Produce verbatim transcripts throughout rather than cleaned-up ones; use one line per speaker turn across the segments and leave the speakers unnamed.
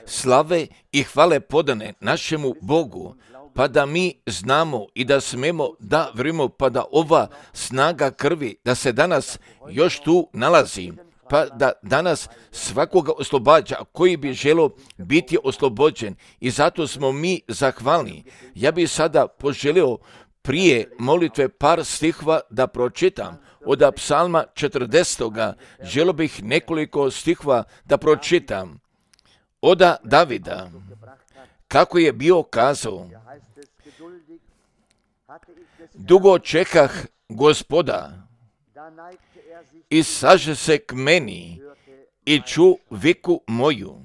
slave i hvale podane našemu Bogu, pa da mi znamo i da smemo da vrimo, pa da ova snaga krvi, da se danas još tu nalazi, pa da danas svakoga oslobađa koji bi želio biti oslobođen, i zato smo mi zahvalni. Ja bih sada poželio prije molitve par stihova da pročitam. Od psalma četrdesetog želio bih nekoliko stihova da pročitam. Oda Davida, kako je bio kazao: dugo čekah Gospoda, i saže se k meni i ču viku moju.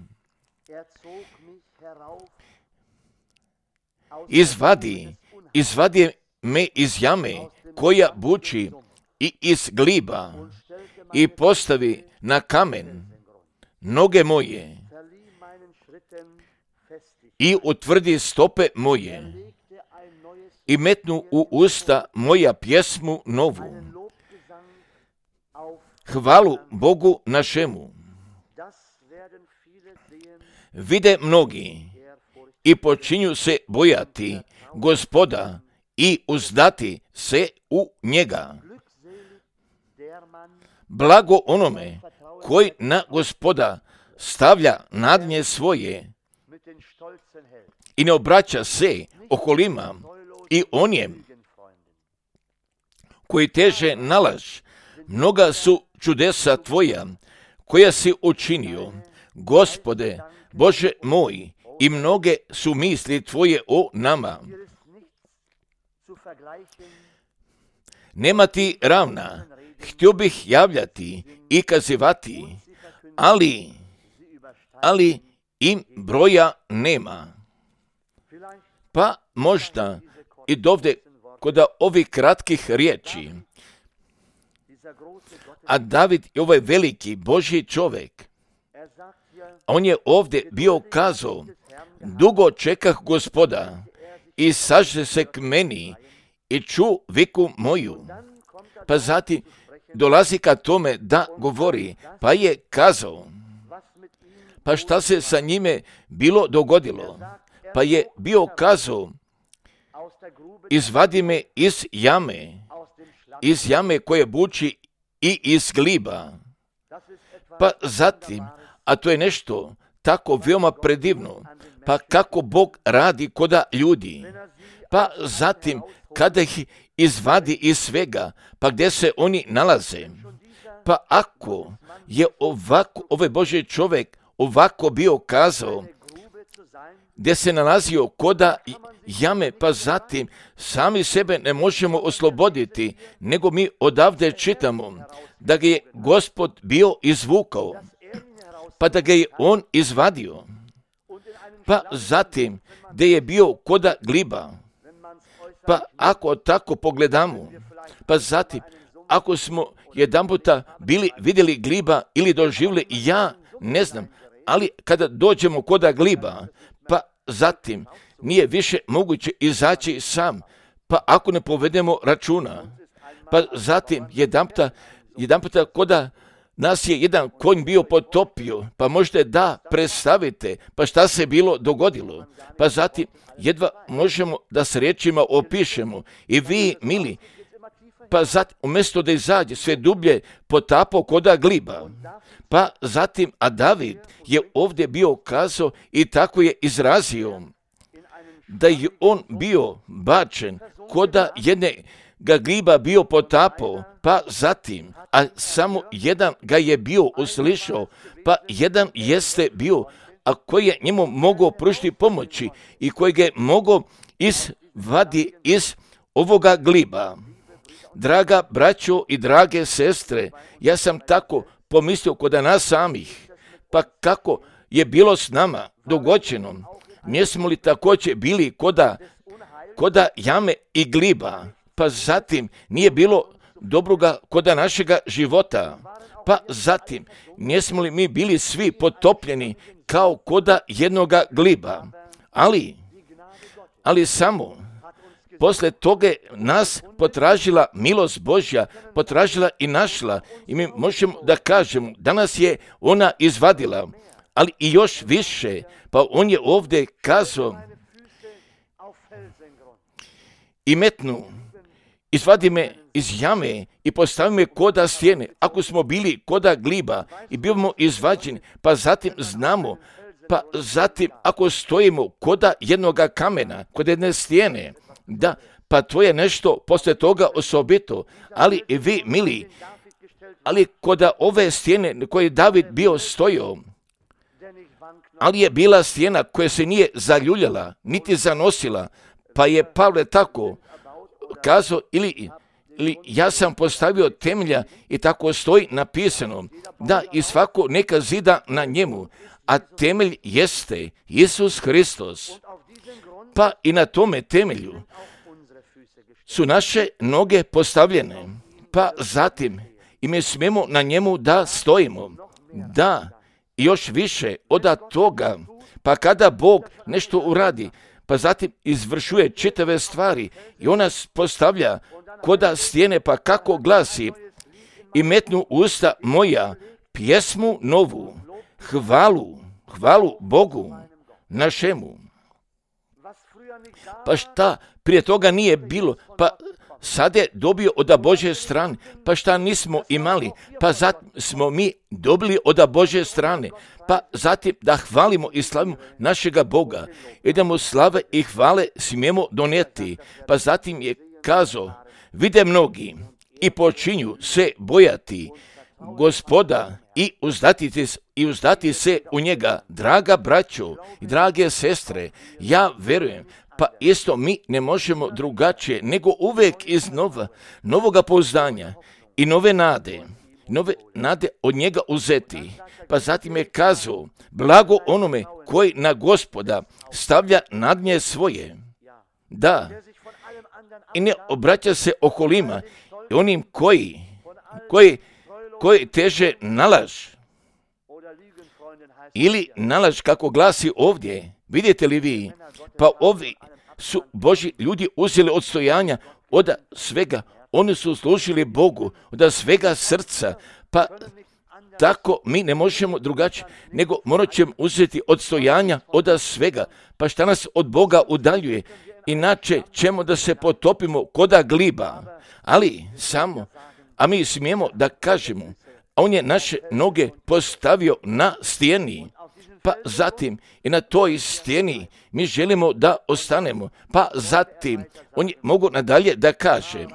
Izvadi, izvadi me iz jame koja buči i iz gliba, i postavi na kamen noge moje i utvrdi stope moje, i metnu u usta moja pjesmu novu, hvalu Bogu našemu. Vide mnogi i počinju se bojati Gospoda i uzdati se u njega. Blago onome koji na Gospoda stavlja nadnje svoje i ne obraća se okolima i onjem koji teže na laž. Mnoga su čudesa tvoja koja si učinio, Gospode, Bože moj, i mnoge su misli tvoje o nama. Nema ti ravna, htio bih javljati i kazivati, ali, ali im broja nema. Pa možda i dovde kod ovih kratkih riječi, a David je ovaj veliki Božji čovjek. On je ovdje bio kazao: dugo čekah Gospoda i saže se k meni i ču viku moju. Pa zatim dolazi ka tome da govori, pa je kazao, pa šta se sa njime bilo dogodilo? Pa je bio kazao: izvadi me iz jame, iz jame koje buči i iz gliba. Pa zatim, a to je nešto tako veoma predivno, pa kako Bog radi koda ljudi. Pa zatim, kada ih izvadi iz svega, pa gdje se oni nalaze. Pa ako je ovako, ovaj Božji čovjek ovako bio kazao, gdje se nalazio koda jame, pa zatim sami sebe ne možemo osloboditi, nego mi odavde čitamo da ga je Gospod bio izvukao, pa da ga je on izvadio. Pa zatim gdje je bio koda gliba, pa ako tako pogledamo, pa zatim ako smo jedan puta bili vidjeli gliba ili doživjeli, ja ne znam, ali kada dođemo koda gliba, pa zatim nije više moguće izaći sam, pa ako ne povedemo računa, pa zatim jedan puta, jedan puta koda nas je jedan konj bio potopio, pa možete da predstavite, pa šta se bilo dogodilo, pa zatim jedva možemo da s riječima opišemo. I vi, mili, pa zatim umjesto da izađe sve dublje potapao koda gliba, pa zatim, a David je ovdje bio kazao i tako je izrazio, da je on bio bačen koda jedne ga gliba bio potapao, pa zatim, a samo jedan ga je bio uslišao, pa jedan jeste bio, a koji je njemu mogao pružiti pomoći i koji ga je mogao izvadi iz ovoga gliba. Draga braćo i drage sestre, ja sam tako pomislio kod nas samih, pa kako je bilo s nama dogođeno, nismo li također bili koda, koda jame i gliba, pa zatim nije bilo dobroga koda našega života, pa zatim nismo li mi bili svi potopljeni kao koda jednoga gliba, ali, ali samo posle toga nas potražila milost Božja, potražila i našla, i mi možemo da kažemo, danas je ona izvadila, ali i još više, pa on je ovdje kazao, i metnu, izvadi me iz jame i postavi me koda stijene, ako smo bili koda gliba i bivamo izvađeni, pa zatim znamo, pa zatim ako stojimo koda jednoga kamena, kod jedne stijene, da, pa to je nešto poslije toga osobito, ali i vi, mili, ali koda ove stijene koje je David bio stojio, ali je bila stijena koja se nije zaljuljala, niti zanosila, pa je Pavle tako kazao, ili, ili ja sam postavio temelja i tako stoji napisano, da i svako neka zida na njemu, a temelj jeste Isus Hristos. Pa i na tome temelju su naše noge postavljene, pa zatim i mi smijemo na njemu da stojimo. Da, i još više od toga, pa kada Bog nešto uradi, pa zatim izvršuje čitave stvari i on nas postavlja koda stijene, pa kako glasi, i metnu usta moja pjesmu novu, hvalu, hvalu Bogu našemu. Pa šta prije toga nije bilo, pa sad je dobio od Božje strane, pa šta nismo imali, pa zatim smo mi dobili od Božje strane, pa zatim da hvalimo i slavimo našega Boga i da mu slave i hvale smijemo donijeti. Pa zatim je kazao, vide mnogi i počinju se bojati Gospoda i uzdati, i uzdati se u njega. Draga braćo i drage sestre, ja verujem, pa isto mi ne možemo drugačije nego uvijek iz nova, novoga pouzdanja i nove nade, nove nade od njega uzeti. Pa zatim je kazao, blago onome koji na Gospoda stavlja nadnje svoje. Da, i ne obraća se okolima i onim koji, koji, koji teže nalaž. Ili nalaž kako glasi ovdje, vidite li vi, pa ovi su Božji ljudi uzeli odstojanja od svega, oni su služili Bogu od svega srca, pa tako mi ne možemo drugačije, nego morat ćemo uzeti odstojanja od svega, pa šta nas od Boga udaljuje, inače ćemo da se potopimo koda gliba, ali samo, a mi smijemo da kažemo, on je naše noge postavio na stijeni, pa zatim i na toj stijeni mi želimo da ostanemo, pa zatim on je mogu nadalje da kaže,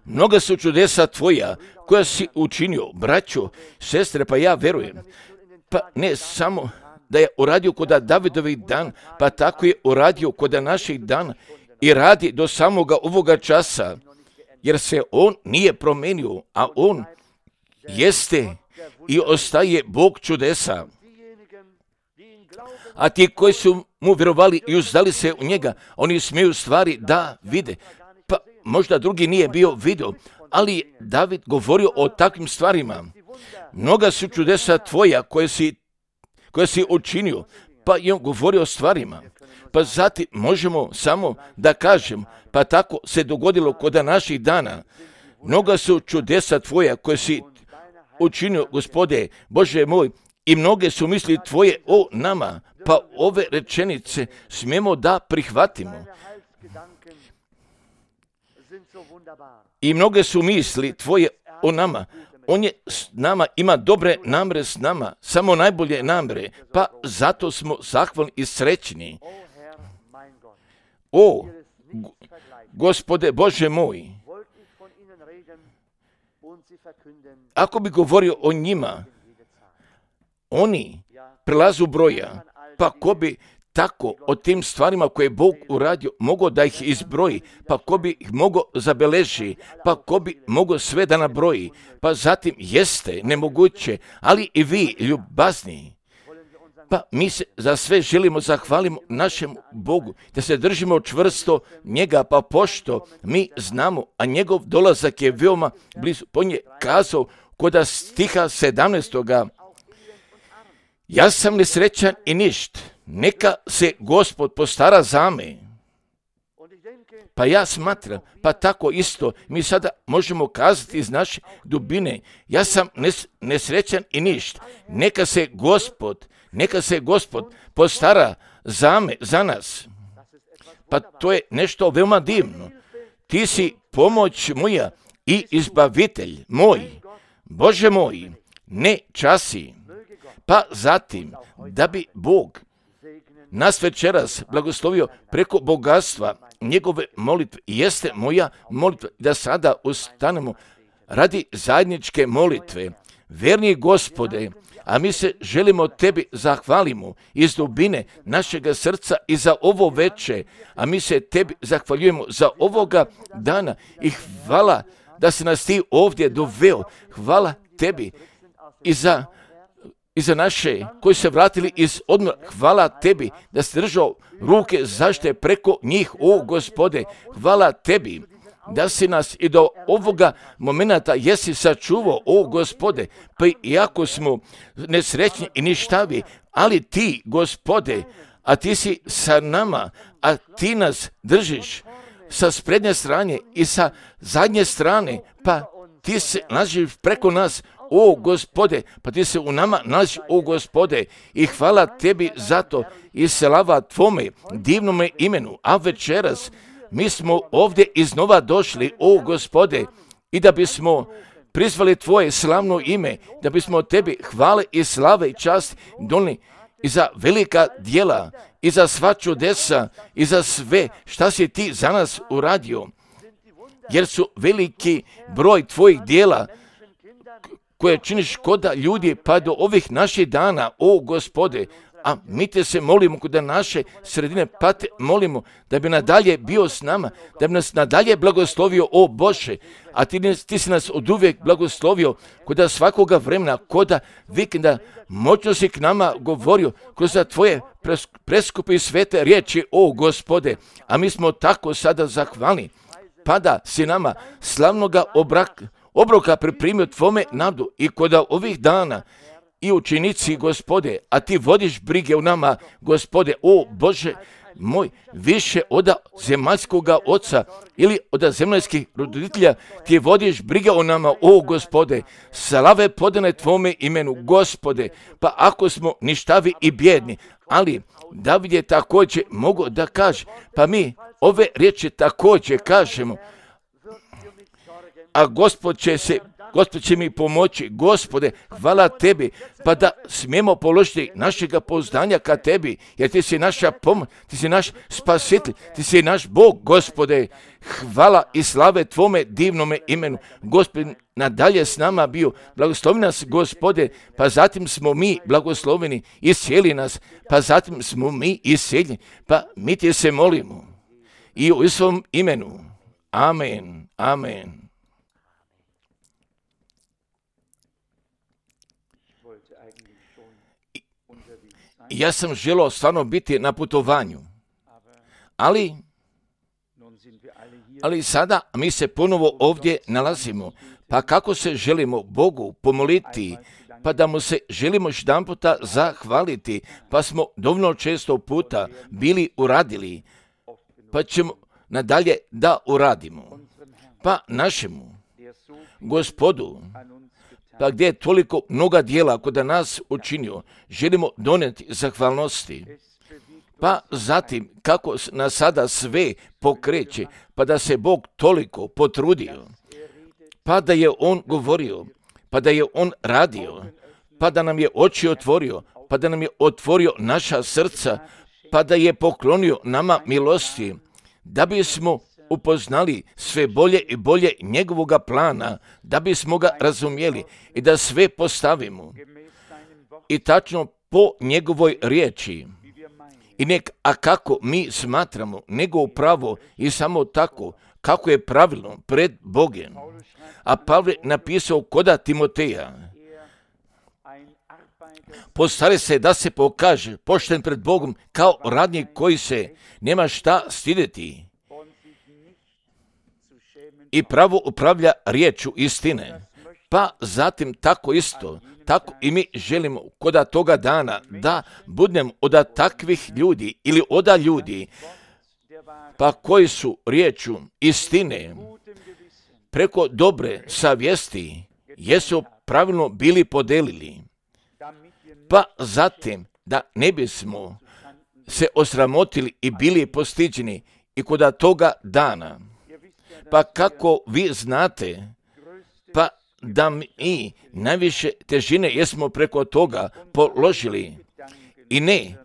mnoga su čudesa tvoja koja si učinio, braćo, sestre, pa ja verujem, pa ne samo da je uradio kod Davidovih dan, pa tako je uradio kod naših dana i radi do samoga ovoga časa, jer se on nije promenio, a on jeste i ostaje Bog čudesa. A ti koji su mu vjerovali i uzdali se u njega, oni smiju stvari da vide. Pa možda drugi nije bio vidio, ali David govorio o takvim stvarima. Mnoga su čudesa tvoja koje si, koje si učinio, pa i on govorio o stvarima. Pa zatim možemo samo da kažem, pa tako se dogodilo kod naših dana. Mnoga su čudesa tvoja koje si učinio, Gospode, Bože moj, i mnoge su misli tvoje o nama, pa ove rečenice smijemo da prihvatimo. I mnoge su misli tvoje o nama. On je s nama, ima dobre namre s nama, samo najbolje namre, pa zato smo zahvalni i srećni. O, Gospode Bože moj, ako bi govorio o njima, oni prelazu broja, pa ko bi tako o tim stvarima koje je Bog uradio mogao da ih izbroji, pa ko bi ih mogao zabeleži, pa ko bi mogao sve da nabroji, pa zatim jeste nemoguće, ali i vi ljubazni, pa mi se za sve želimo zahvalimo našem Bogu, da se držimo čvrsto njega, pa pošto mi znamo, a njegov dolazak je veoma blizu. On je kazao kod stiha sedamnaestoga ja sam nesrećan i ništ, neka se Gospod postara za me. Pa ja smatram, pa tako isto, mi sada možemo kazati iz naše dubine, ja sam nes, nesrećan i ništa. Neka se Gospod, neka se Gospod postara za me, za nas. Pa to je nešto veoma divno. Ti si pomoć moja i izbavitelj moj. Bože moj, ne časi. Pa zatim, da bi Bog nas večeras blagoslovio preko bogatstva njegove molitve, jeste moja molitva da sada ustanemo radi zajedničke molitve. Verni Gospode, a mi se želimo tebi zahvalimo iz dubine našega srca i za ovo veče, a mi se tebi zahvaljujemo za ovoga dana i hvala da si nas ti ovdje doveo. Hvala tebi i za i za naše koji se vratili iz odmora. Hvala tebi da si držao ruke zaštite preko njih, o Gospode. Hvala tebi da si nas i do ovoga momenta jesi sačuvao, o Gospode, pa iako smo nesrećni i ništavi, ali ti, Gospode, a ti si sa nama, a ti nas držiš sa sprednje strane i sa zadnje strane, pa ti se nalaziš preko nas, o Gospode, pa ti se u nama nalaziš, o Gospode, i hvala tebi za to i slava tvome divnome imenu, a večeras mi smo ovdje iznova došli, o Gospode, i da bismo prizvali tvoje slavno ime, da bismo tebi hvale i slave i čast donijeli i za velika djela, i za sva čudesa, i za sve šta si ti za nas uradio, jer su veliki broj tvojih djela koje činiš koda ljudi pa do ovih naših dana, o Gospode, a mi te se molimo kod naše sredine, pa te molimo da bi nadalje bio s nama, da bi nas nadalje blagoslovio, o Bože, a ti, ti si nas od uvijek blagoslovio kod svakoga vremena, kod vikenda, moćno si k nama govorio kroz tvoje preskupe i svete riječi, o Gospode, a mi smo tako sada zahvalni, pa da si nama slavnoga obraka, obroka pripremio tvome nadu i kod ovih dana i učenici, Gospode, a ti vodiš brige u nama, Gospode, o Bože moj, više od zemaljskoga oca ili od zemaljskih roditelja, ti vodiš brige o nama, o Gospode, slave podane tvome imenu, Gospode, pa ako smo ništavi i bjedni, ali David je također mogao da kaže, pa mi ove riječi također kažemo, a Gospod će se, Gospod će mi pomoći, Gospode, hvala tebi, pa da smijemo položiti našega pouzdanja ka tebi, jer ti si naša pomoć, ti si naš spasitelj, ti si naš Bog, Gospode, hvala i slave tvome divnome imenu, Gospod nadalje s nama bio, blagoslovi nas, Gospode, pa zatim smo mi blagosloveni, iscijeli nas, pa zatim smo mi iscijeljeni, pa mi ti se molimo i u svom imenu, amen, amen. Ja sam želio stvarno biti na putovanju, ali, ali sada mi se ponovo ovdje nalazimo, pa kako se želimo Bogu pomoliti, pa da mu se želimo jedanputa zahvaliti, pa smo dovoljno često puta bili uradili, pa ćemo nadalje da uradimo, pa našemu Gospodu, pa gdje je toliko mnoga djela kod nas učinio, želimo donijeti zahvalnosti. Pa zatim, kako nas sada sve pokreće, pa da se Bog toliko potrudio, pa da je On govorio, pa da je On radio, pa da nam je oči otvorio, pa da nam je otvorio naša srca, pa da je poklonio nama milosti, da bismo upoznali sve bolje i bolje njegovoga plana, da bismo ga razumjeli i da sve postavimo i tačno po njegovoj riječi. I nek, a kako mi smatramo, nego upravo i samo tako, kako je pravilno pred Bogom. A Pavle napisao koda Timoteja, postari se da se pokaže pošten pred Bogom kao radnik koji se nema šta stideti i pravo upravlja riječu istine. Pa zatim tako isto, tako i mi želimo koda toga dana da budemo od takvih ljudi ili oda ljudi pa koji su riječu istine preko dobre savjesti jesu pravilno bili podelili, pa zatim da ne bismo se osramotili i bili postiđeni i kod toga dana. Pa kako vi znate, pa da mi najviše težine jesmo preko toga položili i ne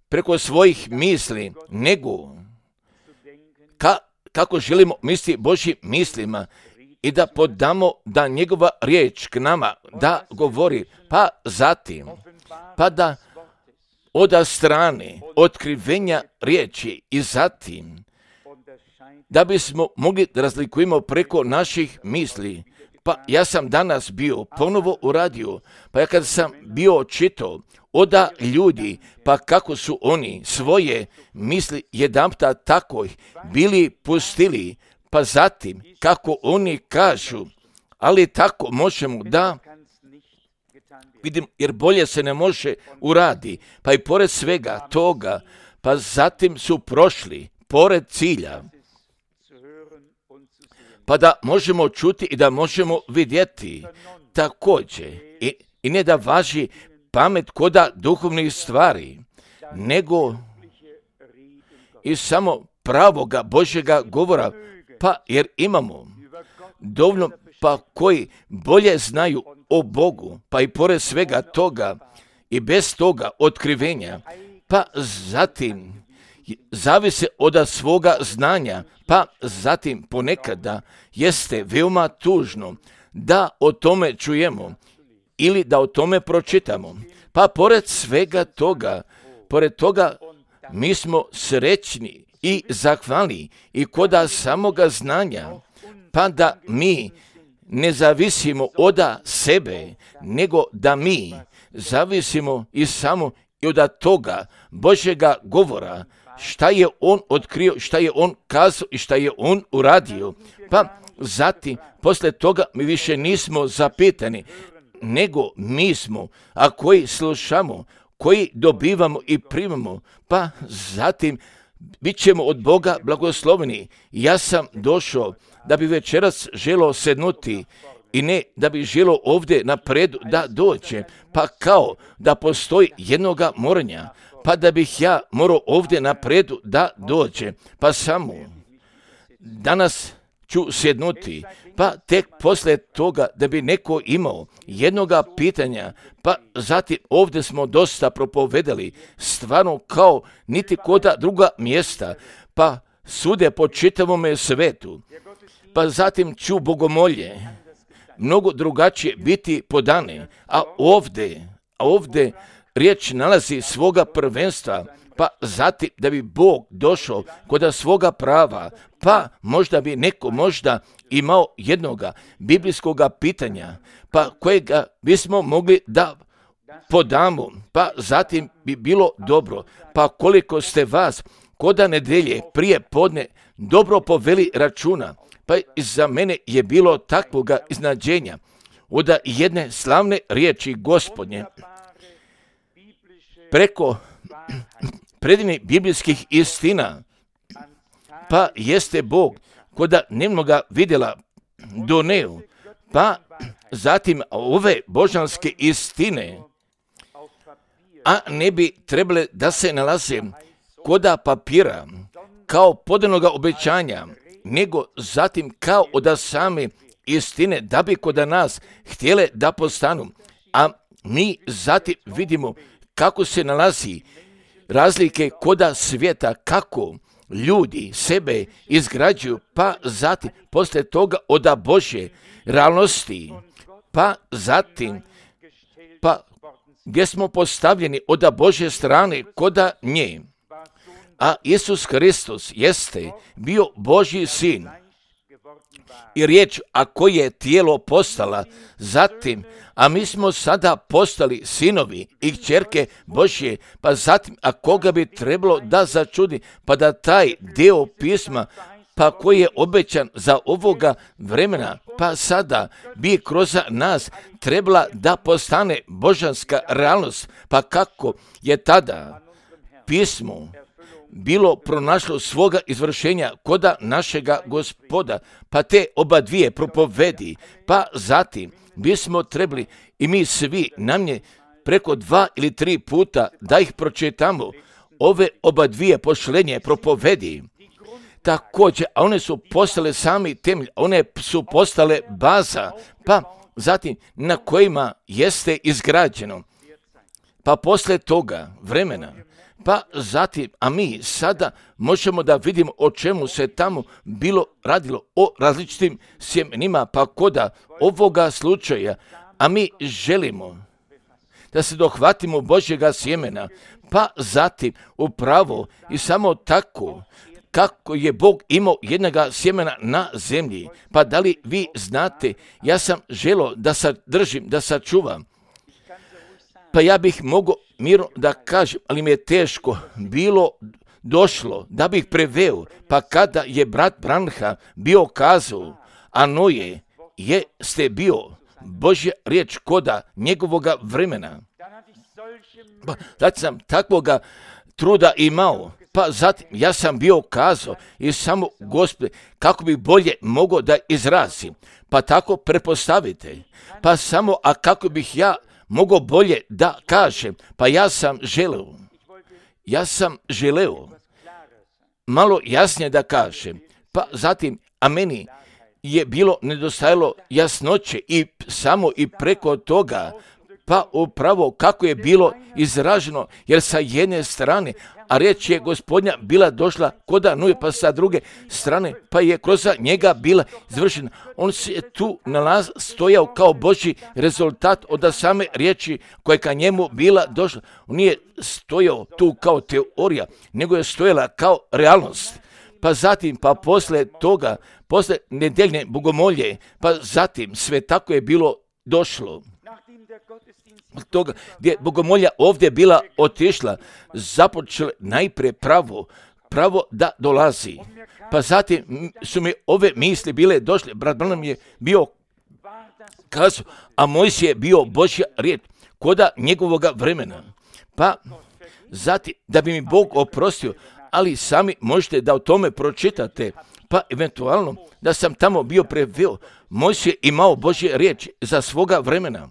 preko svojih misli, nego ka, kako želimo misliti Božjim mislima i da podamo da njegova riječ k nama da govori, pa zatim, pa da od strane otkrivenja riječi i zatim da bismo mogli da razlikujemo preko naših misli. Pa ja sam danas bio ponovo u radiju, pa ja kad sam bio čitao oda ljudi, pa kako su oni svoje misli jedanputa tako bili pustili, pa zatim kako oni kažu, ali tako možemo da vidim, jer bolje se ne može uradi, pa i pored svega toga, pa zatim su prošli pored cilja, pa da možemo čuti i da možemo vidjeti također i, i ne da važi pamet koda duhovnih stvari, nego i samo pravoga Božjega govora, pa jer imamo dovoljno pa koji bolje znaju o Bogu, pa i pored svega toga i bez toga otkrivenja, pa zatim zavise od svoga znanja, pa zatim ponekada jeste veoma tužno da o tome čujemo ili da o tome pročitamo. Pa pored svega toga, pored toga mi smo srećni i zahvalni i koda samoga znanja, pa da mi ne zavisimo od sebe, nego da mi zavisimo i samo i od toga Božjega govora, šta je on otkrio, šta je on kazao i šta je on uradio. Pa zatim, posle toga mi više nismo zapitani, nego mi smo, a koji slušamo, koji dobivamo i primamo, pa zatim bit ćemo od Boga blagosloveni. Ja sam došao da bi večeras želio sednuti i ne da bi želio ovdje napredu da dođe, pa kao da postoji jednoga moranja, pa da bih ja morao ovdje napredu da dođe, pa samo danas ću sjednuti, pa tek poslije toga da bi neko imao jednoga pitanja, pa zatim ovdje smo dosta propovedali, stvarno kao niti koda druga mjesta, pa sude po čitavome svetu, pa zatim ću bogomolje mnogo drugačije biti podane, a ovdje, a ovdje riječ nalazi svoga prvenstva, pa zatim da bi Bog došao kod svoga prava, pa možda bi neko možda imao jednoga biblijskoga pitanja, pa kojega bismo mogli da podamo, pa zatim bi bilo dobro, pa koliko ste vas koda nedelje prije podne dobro poveli računa, pa i za mene je bilo takvoga iznadženja od jedne slavne riječi Gospodnje preko predivnih biblijskih istina, pa jeste Bog koda nemnoga vidjela doneo, pa zatim ove božanske istine, a ne bi trebale da se nalaze koda papira kao podanoga obećanja, nego zatim kao od same istine da bi kod nas htjele da postanu, a mi zatim vidimo kako se nalazi razlike koda svijeta, kako ljudi sebe izgrađuju, pa zatim poslije toga od Božje realnosti, pa zatim pa gdje smo postavljeni od Božje strane koda nje. A Isus Hristos jeste bio Božji sin i riječ, a koje je tijelo postala zatim, a mi smo sada postali sinovi i kćerke Božje, pa zatim, a koga bi trebalo da začudi, pa da taj dio pisma, pa koji je obećan za ovoga vremena, pa sada bi kroz nas trebala da postane božanska realnost, pa kako je tada pismo bilo pronašlo svoga izvršenja koda našega Gospoda, pa te oba dvije propovedi, pa zatim bismo trebali i mi svi namnje preko dva ili tri puta da ih pročitamo, ove oba dvije pošlenje propovedi. Također, a one su postale sami temelj, one su postale baza, pa zatim na kojima jeste izgrađeno. Pa poslije toga vremena, pa zatim, a mi sada možemo da vidimo o čemu se tamo bilo radilo, o različitim sjemenima, pa koda ovoga slučaja, a mi želimo da se dohvatimo Božjega sjemena, pa zatim upravo i samo tako kako je Bog imao jednoga sjemena na zemlji. Pa da li vi znate, ja sam želio da sadržim, da sačuvam. Pa ja bih mogao mirno da kažem, ali mi je teško bilo došlo da bih preveo. Pa kada je brat Branham bio kazao, a Noje jeste bio Božja riječ koda njegovoga vremena. Pa zato sam takvoga truda imao. Pa zatim ja sam bio kazao i samo Gospode kako bi bolje mogao da izrazim. Pa tako prepostavite. Pa samo, a kako bih ja mogao bolje da kažem. Pa ja sam želeo. Ja sam želeo malo jasnije da kažem. Pa zatim, a meni je bilo nedostajalo jasnoće i samo i preko toga, pa upravo kako je bilo izraženo, jer sa jedne strane, a riječ je Gospodnja bila došla koda Nuje, pa sa druge strane, pa je kroz njega bila izvršena. On se tu nalaz stojao kao Božji rezultat od same riječi koja je ka njemu bila došla. On nije stojao tu kao teorija, nego je stojala kao realnost. Pa zatim, pa posle toga, posle nedeljne bogomolje, pa zatim sve tako je bilo došlo. Toga gdje bogomolja ovdje bila otišla, započela najprije pravo, pravo da dolazi. Pa zatim su mi ove misli bile došle, brat Branham je bio kazao, a Mojsije je bio Božja riječ koda njegovoga vremena. Pa zatim, da bi mi Bog oprostio, ali sami možete da o tome pročitate, pa eventualno da sam tamo bio preveo, Mojsije imao Božje riječ za svoga vremena.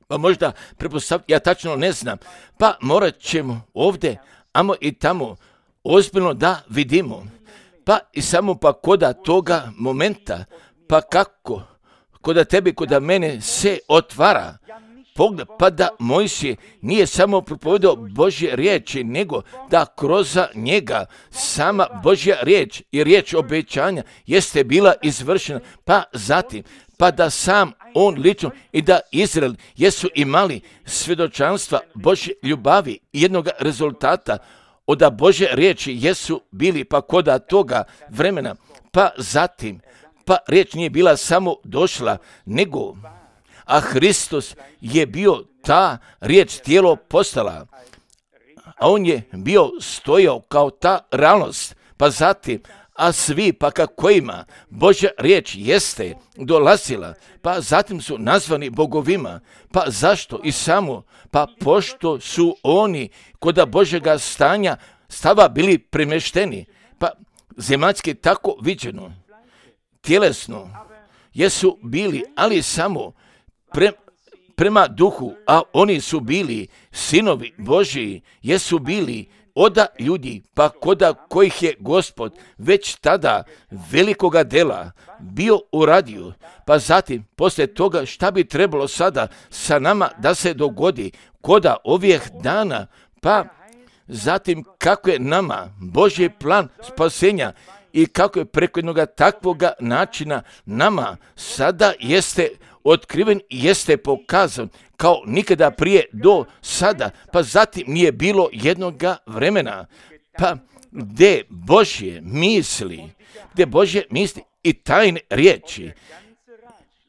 Pa možda prepostaviti, ja tačno ne znam, pa morat ćemo ovdje, amo i tamo, ozbiljno da vidimo, pa i samo pa koda toga momenta, pa kako, koda tebi, koda mene se otvara, pogled, pa da Mojsije nije samo propovedao Božje riječi, nego da kroz njega sama Božja riječ i riječ obećanja jeste bila izvršena, pa zatim, pa da sam on lično i da Izrael jesu imali svjedočanstva Božje ljubavi i jednog rezultata od Božje riječi jesu bili pa koda toga vremena, pa zatim, pa riječ nije bila samo došla, nego a Hristos je bio ta riječ tijelo postala, a on je bio stojao kao ta realnost, pa zatim, a svi pa kakvima Božja riječ jeste dolazila, pa zatim su nazvani bogovima, pa zašto i samo, pa pošto su oni koda Božjega stanja stava bili premešteni, pa zemaljski tako viđeno, tjelesno jesu bili, ali samo pre, prema duhu, a oni su bili sinovi Božji, jesu bili oda ljudi, pa koda kojih je Gospod već tada velikoga dela bio uradio, pa zatim poslije toga šta bi trebalo sada sa nama da se dogodi koda ovih dana, pa zatim kako je nama Božji plan spasenja i kako je preko jednog takvoga načina nama sada jeste otkriven i jeste pokazan kao nikada prije do sada, pa zatim nije bilo jednoga vremena, pa gdje Božje misli, gdje Božje misli i tajne riječi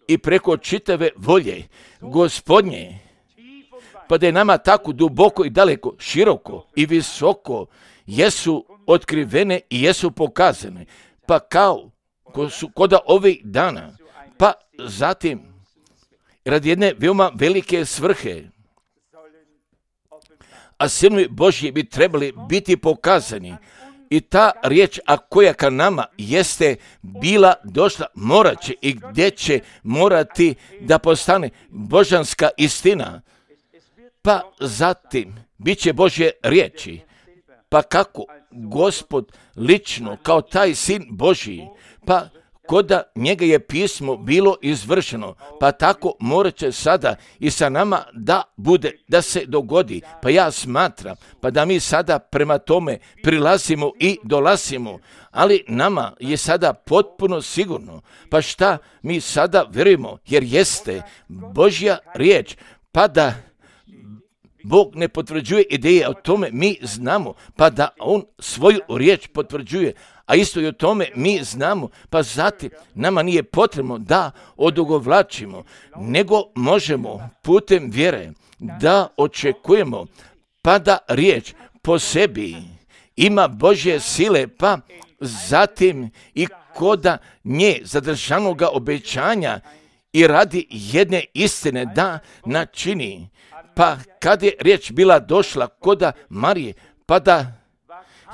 i preko čitave volje Gospodnje, pa da je nama tako duboko i daleko, široko i visoko jesu otkrivene i jesu pokazane, pa kao ko su koda ovih dana, pa zatim radi jedne veoma velike svrhe a sinovi Božji bi trebali biti pokazani. I ta riječ, a koja ka nama jeste bila došla, morat će i gdje će morati da postane božanska istina. Pa zatim, bit će Božje riječi. Pa kako Gospod lično, kao taj sin Božji, pa koda njega je pismo bilo izvršeno, pa tako morat će sada i sa nama da bude, da se dogodi. Pa ja smatram, pa da mi sada prema tome prilazimo i dolazimo, ali nama je sada potpuno sigurno. Pa šta mi sada vjerujemo, jer jeste Božja riječ, pa da Bog ne potvrđuje ideje, o tome mi znamo, pa da On svoju riječ potvrđuje, a isto i o tome mi znamo, pa zatim nama nije potrebno da odugovlačimo, nego možemo putem vjere da očekujemo, pa da riječ po sebi ima Božje sile, pa zatim i koda nje zadržanoga obećanja i radi jedne istine da načini. Pa kad je riječ bila došla koda Marije, pa da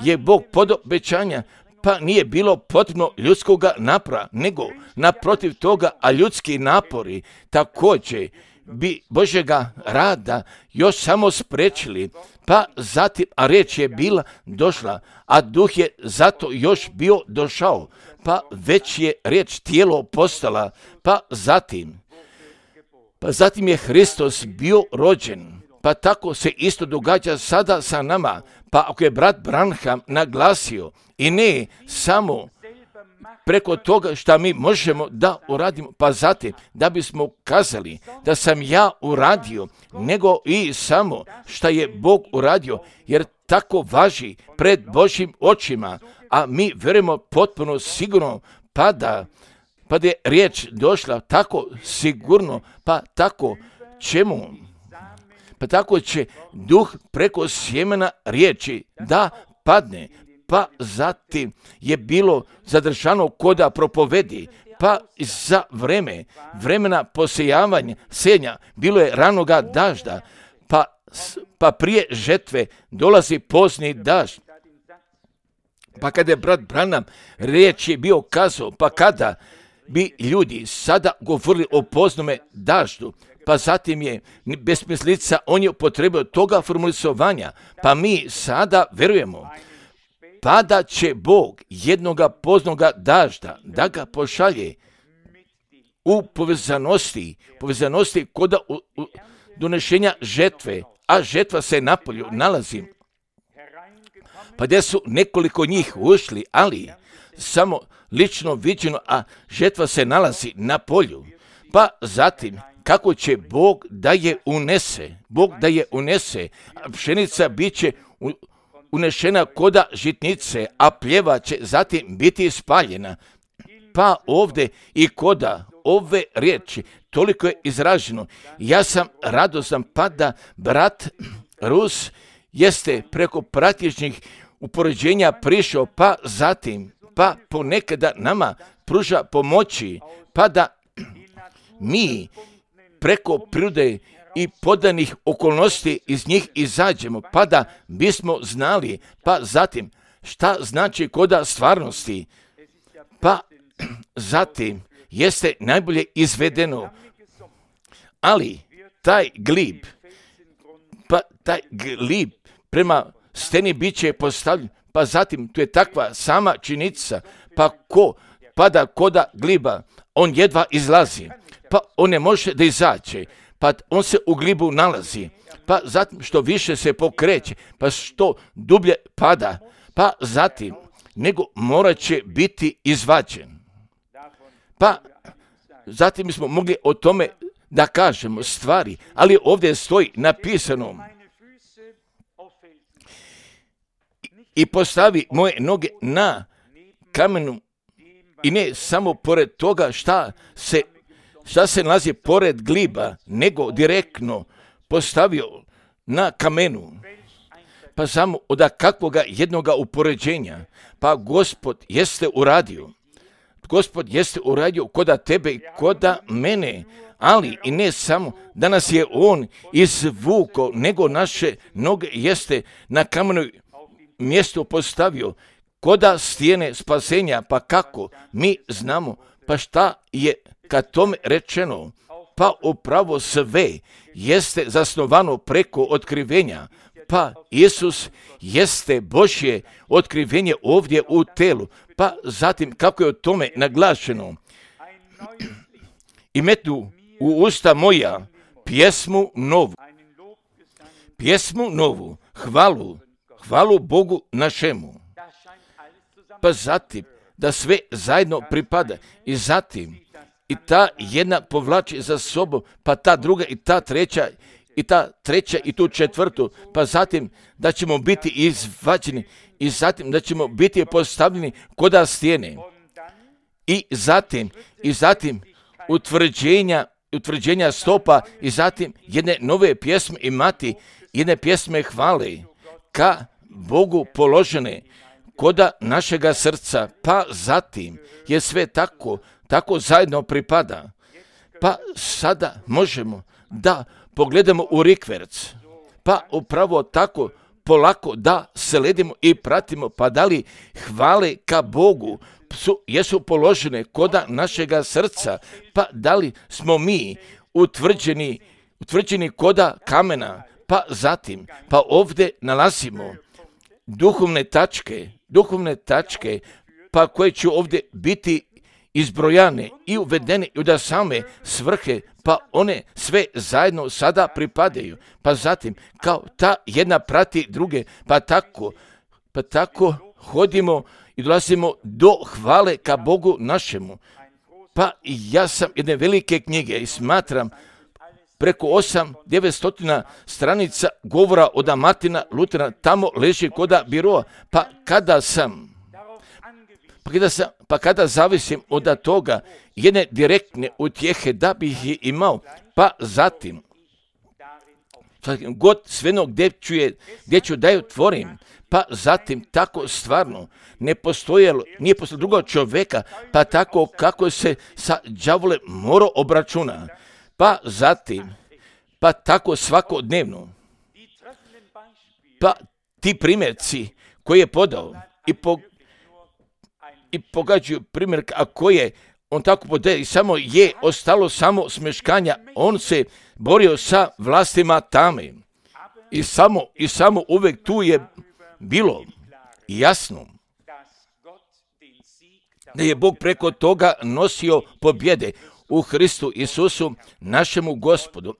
je Bog pod obećanja, pa nije bilo potrebno ljudskoga napora, nego naprotiv toga, a ljudski napori također bi Božjega rada još samo sprečili, pa zatim, a riječ je bila došla, a duh je zato još bio došao, pa već je riječ tijelo postala, pa zatim, pa zatim je Hristos bio rođen, pa tako se isto događa sada sa nama. Pa ako je brat Branham naglasio i ne samo preko toga što mi možemo da uradimo, pa zatim da bismo kazali da sam ja uradio, nego i samo što je Bog uradio, jer tako važi pred Božjim očima, a mi vjerujemo potpuno sigurno, pa da pa da je riječ došla tako sigurno, pa tako čemu? Pa tako će duh preko sjemena riječi da padne, pa zatim je bilo zadržano koda propovedi, pa za vreme, vremena posejavanja, senja, bilo je ranoga dažda, pa, pa prije žetve dolazi pozni dažd. Pa kada je brat Branham riječ je bio kazao, pa kada bi ljudi sada govorili o poznome daždu, pa zatim je besmislica, on je upotrebio toga formulisovanja, pa mi sada vjerujemo, pa da će Bog jednoga poznoga dažda da ga pošalje u povezanosti, povezanosti koda u, u donešenja žetve, a žetva se na polju nalazi. Pa gdje su nekoliko njih ušli, ali samo lično viđeno, a žetva se nalazi na polju. Pa zatim, kako će Bog da je unese, Bog da je unese, a pšenica bit će unešena koda žitnice, a pljeva će zatim biti spaljena. Pa ovdje i koda ove riječi toliko je izraženo. Ja sam radostan, pa da brat Rus jeste preko praktičnih upoređenja prišao, pa zatim, pa ponekada nama pruža pomoći, pa da mi preko prirode i podanih okolnosti iz njih izađemo, pa da bismo znali, pa zatim šta znači koda stvarnosti, pa zatim jeste najbolje izvedeno, ali taj glib, pa taj glib prema steni bit će postavljen, pa zatim tu je takva sama činjenica, pa ko pada koda gliba, on jedva izlazi, pa on ne može da izađe, pa on se u glibu nalazi, pa zatim što više se pokreće, pa što dublje pada, pa zatim nego morat će biti izvađen. Pa zatim bismo mogli o tome da kažemo stvari, ali ovdje stoji napisano i postavi moje noge na kamenu, i ne samo pored toga šta se, šta se nalazi pored gliba, nego direktno postavio na kamenu. Pa samo od kakvoga jednoga upoređenja, pa Gospod jeste uradio. Gospod jeste uradio koda tebe i koda mene, ali i ne samo da nas je on izvuko, nego naše noge jeste na kamenoj mjestu postavio, koda stijene spasenja. Pa kako mi znamo, pa šta je kad tome rečeno? Pa upravo sve jeste zasnovano preko otkrivenja. Pa Isus jeste Božje otkrivenje ovdje u telu. Pa zatim kako je o tome naglašeno? I metnu u usta moja pjesmu novu. Pjesmu novu, hvalu, hvalu Bogu našemu. Pa zatim da sve zajedno pripada i zatim i ta jedna povlači za sobom, pa ta druga i ta treća i ta treća i tu četvrtu, pa zatim da ćemo biti izvađeni i zatim da ćemo biti postavljeni koda stijene i zatim i zatim utvrđenja, utvrđenja stopa i zatim jedne nove pjesme imati, jedne pjesme hvale ka Bogu položene koda našega srca, pa zatim je sve tako, tako zajedno pripada. Pa sada možemo da pogledamo u rikverc, pa upravo tako polako da sledimo i pratimo, pa da li hvale ka Bogu su, jesu položene koda našega srca, pa da li smo mi utvrđeni, utvrđeni koda kamena, pa zatim, pa ovdje nalazimo duhovne tačke, duhovne tačke, pa koje će ovdje biti izbrojane i uvedene i da same svrhe, pa one sve zajedno sada pripadaju. Pa zatim, kao ta jedna prati druge, pa tako, pa tako hodimo i dolazimo do hvale ka Bogu našemu. Pa ja sam jedne velike knjige i smatram preko osam, devetstotina stranica govora od Martina Lutera, tamo leži koda biroa. Pa kada sam, pa kada, sam, pa kada zavisim od toga jedne direktne utjehe da bih je imao, pa zatim, god sveno gdje ću, je, gdje ću da ju tvorim, pa zatim tako stvarno ne postojalo, nije postojalo drugog čovjeka, pa tako kako se sa đavolem mora obračuna. Pa zatim, pa tako svakodnevno, pa ti primjerci koji je podao i, po, i pogađaju primjer, a koje on tako podaje i samo je ostalo samo smeškanja, on se borio sa vlastima tame i samo, i samo uvijek tu je bilo jasno da je Bog preko toga nosio pobjede u Hristu Isusu, našemu Gospodu.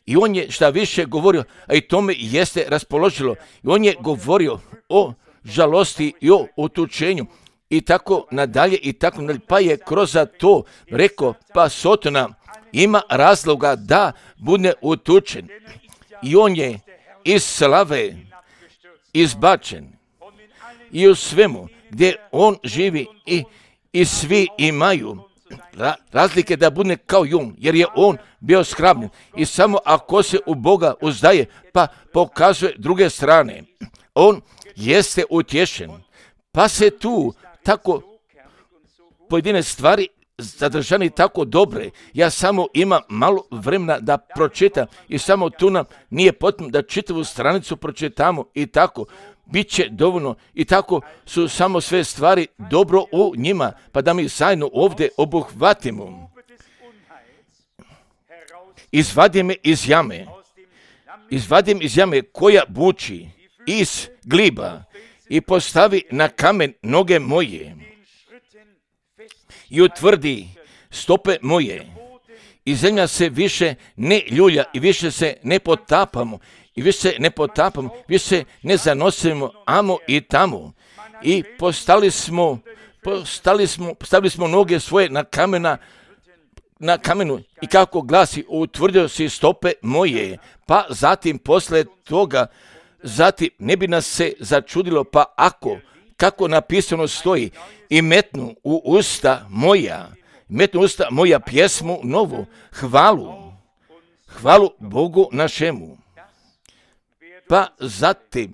I on je šta više govorio, a i tome jeste raspoložilo. I on je govorio o žalosti i o utučenju i tako nadalje i tako nadalje. Pa je kroz to rekao, pa Sotona ima razloga da bude utučen. I on je iz slave izbačen. I u svemu gdje on živi i, i svi imaju razlike da bude kao jun, jer je on bio skrbljen i samo ako se u Boga uzdaje, pa pokazuje druge strane, on jeste utješen, pa se tu tako pojedine stvari zadržani tako dobre. Ja samo imam malo vremena da pročitam i samo tu nam nije potrebno da čitavu stranicu pročitamo i tako. Biće dovoljno i tako su samo sve stvari dobro u njima, pa da mi zajedno ovdje obuhvatimo. Izvadi me iz jame, izvadi me iz jame koja buči iz gliba i postavi na kamen noge moje i utvrdi stope moje i zemlja se više ne ljulja i više se ne potapamo. I više se ne potapamo, više se ne zanosimo amo i tamo. I postali smo, postali smo, postavili smo noge svoje na kamena, na kamenu i kako glasi, utvrdio si stope moje. Pa zatim posle toga, zatim ne bi nas se začudilo, pa ako, kako napisano stoji, i metnu u usta moja, metnu u usta moja pjesmu novu, hvalu, hvalu Bogu našemu. Pa zatim,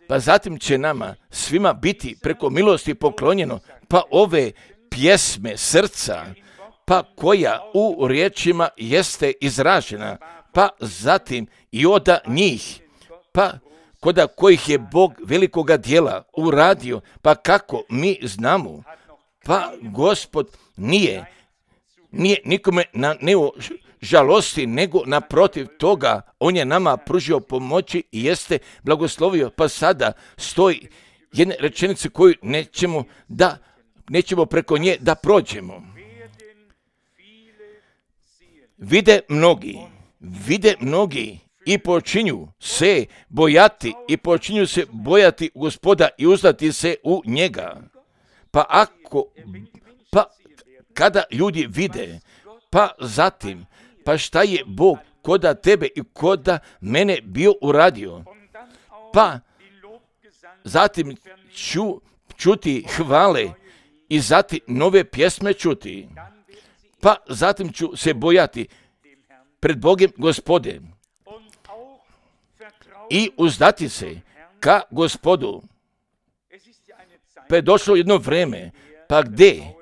pa zatim će nama svima biti preko milosti poklonjeno, pa ove pjesme srca, pa koja u riječima jeste izražena, pa zatim i od njih, pa koda kojih je Bog velikoga djela uradio, pa kako mi znamo, pa Gospod nije, nije nikome naneo žalosti, nego naprotiv toga, on je nama pružio pomoći i jeste blagoslovio, pa sada stoji jedne rečenice koju nećemo da, nećemo preko nje da prođemo. Vide mnogi, vide mnogi i počinju se bojati i počinju se bojati Gospoda i uzdati se u njega. Pa ako, pa kada ljudi vide, pa zatim, pa šta je Bog koda tebe i koda mene bio uradio, pa zatim ću čuti hvale i zatim nove pjesme čuti, pa zatim ću se bojati pred Bogom Gospode i uzdati se ka Gospodu. Pa je došlo jedno vreme, pa gdje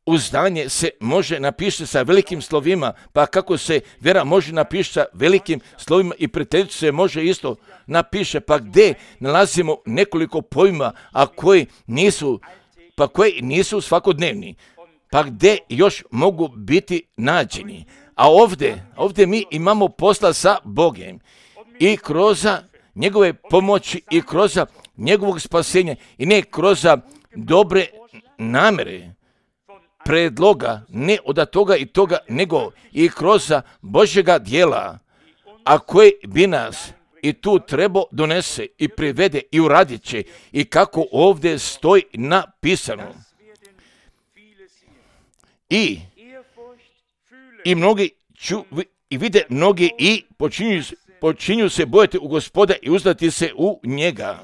uzdanje se može napisati sa velikim slovima, pa kako se vjera može napisati sa velikim slovima i prijateljstvo se može isto napiše, pa gdje nalazimo nekoliko pojma, a koji nisu, pa koji nisu svakodnevni, pa gdje još mogu biti nađeni. A ovdje, ovdje mi imamo posla sa Bogom i kroz njegove pomoći i kroz njegovog spasenja i ne kroz dobre namere, predloga, ne od toga i toga, nego i kroz Božjega djela, a koji bi nas i tu treba donese i privede i uradit će i kako ovdje stoji napisano. I, i mnogi ču, i vide mnogi i počinju, počinju se bojati u Gospoda i uzdati se u njega.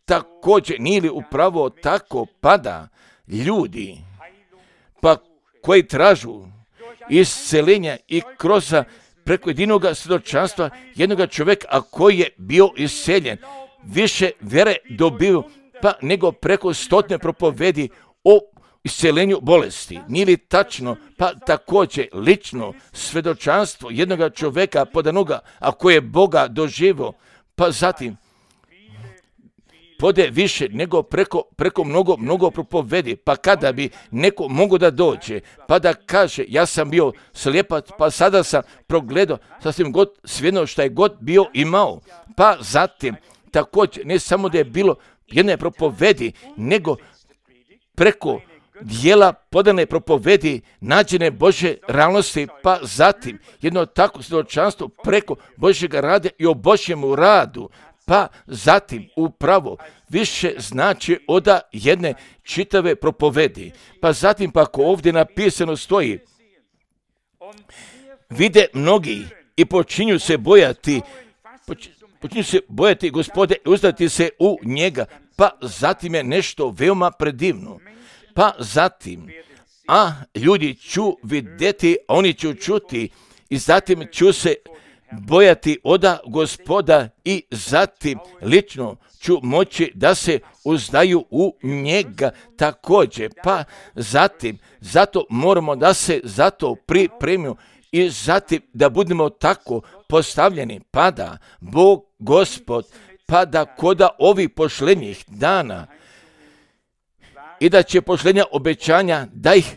Također nije li upravo tako pada ljudi, pa koji tražu isceljenja i kroz preko jedinog svjedočanstva jednog čovjeka, a koji je bio isceljen, više vjere dobio, pa nego preko stotne propovedi o isceljenju bolesti. Nije li tačno, pa također lično svjedočanstvo jednog čovjeka podanoga, a koji je Boga doživio, pa zatim pode više nego preko, preko mnogo, mnogo propovedi, pa kada bi neko mogo da dođe, pa da kaže ja sam bio slijepac, pa sada sam progledao sasvim god svjedno šta je god bio imao, pa zatim također ne samo da je bilo jedne propovedi, nego preko dijela podane propovedi nađene Božje realnosti, pa zatim jedno tako svjedočanstvo preko Božjega rada i o Božjemu radu, pa zatim upravo više znači od jedne čitave propovedi. Pa zatim pa ako ovdje napisano stoji, vide mnogi i počinju se bojati, počinju se bojati Gospode i uzdati se u njega, pa zatim je nešto veoma predivno. Pa zatim, a ljudi ću vidjeti, oni ću čuti i zatim ću se bojati oda Gospoda i zatim lično ću moći da se uzdaju u njega također. Pa zatim, zato moramo da se zato pripremimo i zatim da budemo tako postavljeni, pa da Bog Gospod, pa da koda ovih pošlenjih dana i da će pošlenja obećanja da ih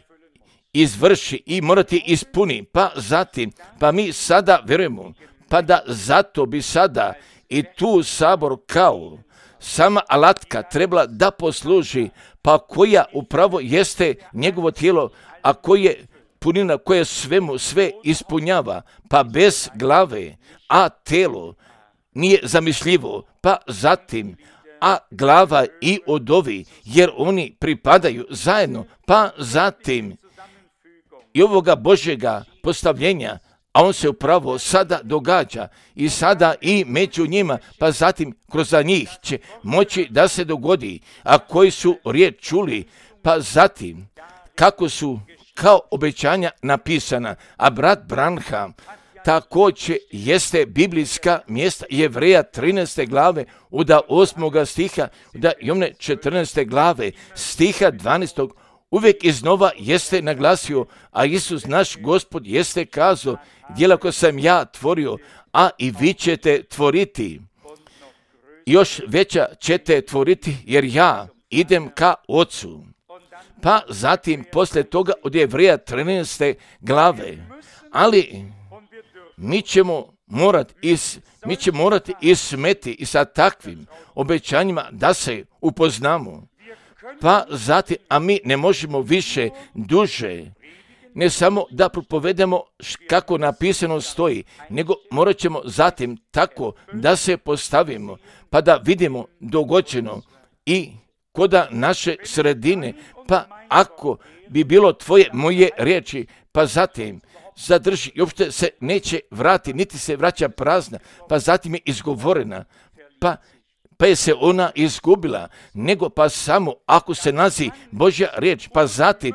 izvrši i morati ispuni, pa zatim, pa mi sada vjerujemo, pa da zato bi sada i tu sabor kao sama alatka trebala da posluži, pa koja upravo jeste njegovo tijelo, a koje punina koje svemu sve ispunjava, pa bez glave, a telo nije zamišljivo, pa zatim, a glava i odovi, jer oni pripadaju zajedno, pa zatim i ovoga Božjega postavljenja, a on se upravo sada događa i sada i među njima, pa zatim kroz njih će moći da se dogodi, a koji su riječ čuli, pa zatim kako su kao obećanja napisana, a brat Branham također jeste biblijska mjesta Jevreja trinaeste glave, uda osmoga stiha, uda Jovne četrnaeste glave, stiha dvanaestog, uvijek iznova jeste naglasio, a Isus naš Gospod jeste kazao, djela koje sam ja tvorio, a i vi ćete tvoriti. Još veća ćete tvoriti, jer ja idem ka Ocu. Pa zatim, poslije toga od Jevreja trinaeste glave, ali mi ćemo morati is, mi ćemo morati ismeti i sa takvim obećanjima da se upoznamo. Pa zatim, a mi ne možemo više duže, ne samo da propovedemo kako napisano stoji, nego morat ćemo zatim tako da se postavimo, pa da vidimo dogođeno i koda naše sredine, pa ako bi bilo tvoje moje riječi, pa zatim zadrži i uopšte se neće vrati, niti se vraća prazna, pa zatim je izgovorena, pa pa je se ona izgubila, nego pa samo ako se nazi Božja riječ, pa zatim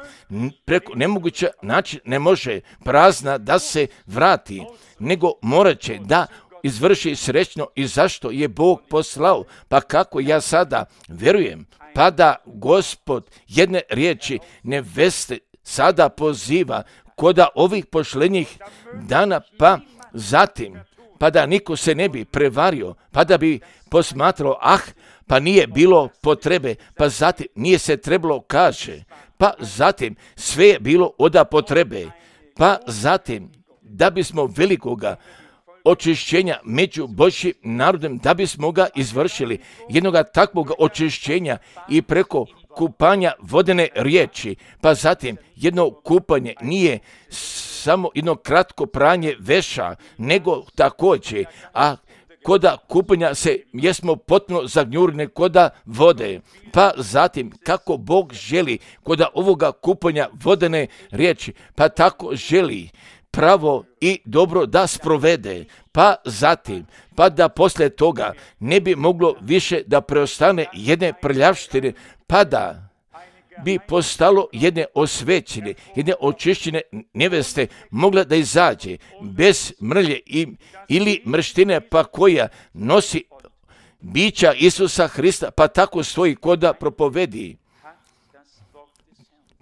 preko nemoguća način ne može prazna da se vrati, nego morat će da izvrši srećno i zašto je Bog poslao, pa kako ja sada verujem, pa da Gospod jedne riječi neveste sada poziva koda ovih pošlenjih dana, pa zatim pa da niko se ne bi prevario, pa da bi posmatrao, ah, pa nije bilo potrebe, pa zatim nije se trebalo kaže, pa zatim sve je bilo oda potrebe, pa zatim da bismo velikoga očišćenja među Božjim narodom, da bismo ga izvršili, jednoga takvog očišćenja i preko kupanja vodene riječi, pa zatim jedno kupanje nije samo jedno kratko pranje veša, nego također, a koda kupanja se jesmo potpuno zagnjurne koda vode, pa zatim kako Bog želi koda ovoga kupanja vodene riječi, pa tako želi pravo i dobro da sprovede, pa zatim, pa da poslije toga ne bi moglo više da preostane jedne prljavštine, pa da bi postalo jedne osvećene, jedne očišćene neveste mogla da izađe bez mrlje i, ili mrštine, pa koja nosi bića Isusa Hrista, pa tako stoji koda propovedi.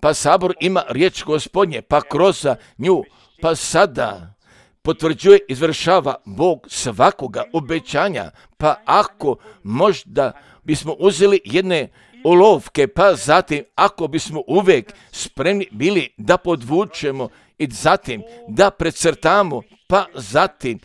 Pa sabor ima riječ Gospodnje, pa kroz nju, pa sada potvrđuje, izvršava Bog svakoga obećanja, pa ako možda bismo uzeli jedne olovke, pa zatim ako bismo uvijek spremni bili da podvučemo i zatim da precrtamo, pa zatim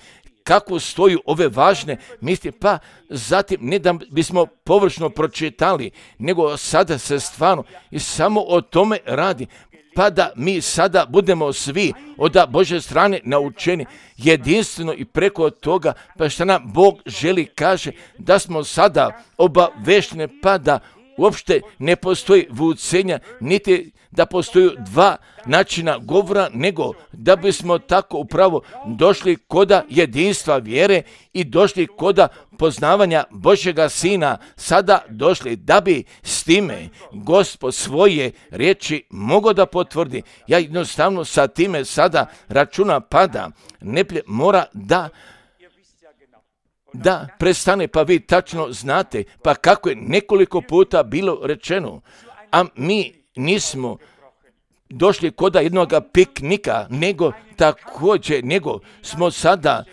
kako stoju ove važne misli, pa zatim ne da bismo površno pročitali, nego sada se stvarno i samo o tome radi, pa da mi sada budemo svi od Božje strane naučeni jedinstveno i preko toga, pa što nam Bog želi kaže da smo sada obavešteni, pa da uopšte ne postoji vucenja, niti da postoji dva načina govora, nego da bismo tako upravo došli koda jedinstva vjere i došli koda poznavanja Božjega Sina, sada došli da bi s time Gospod svoje riječi mogao da potvrdi. Ja jednostavno sa time sada računa pada, neplje mora da da prestane, pa vi tačno znate, pa kako je nekoliko puta bilo rečeno, a mi nismo došli koda jednog piknika, nego također, nego smo sada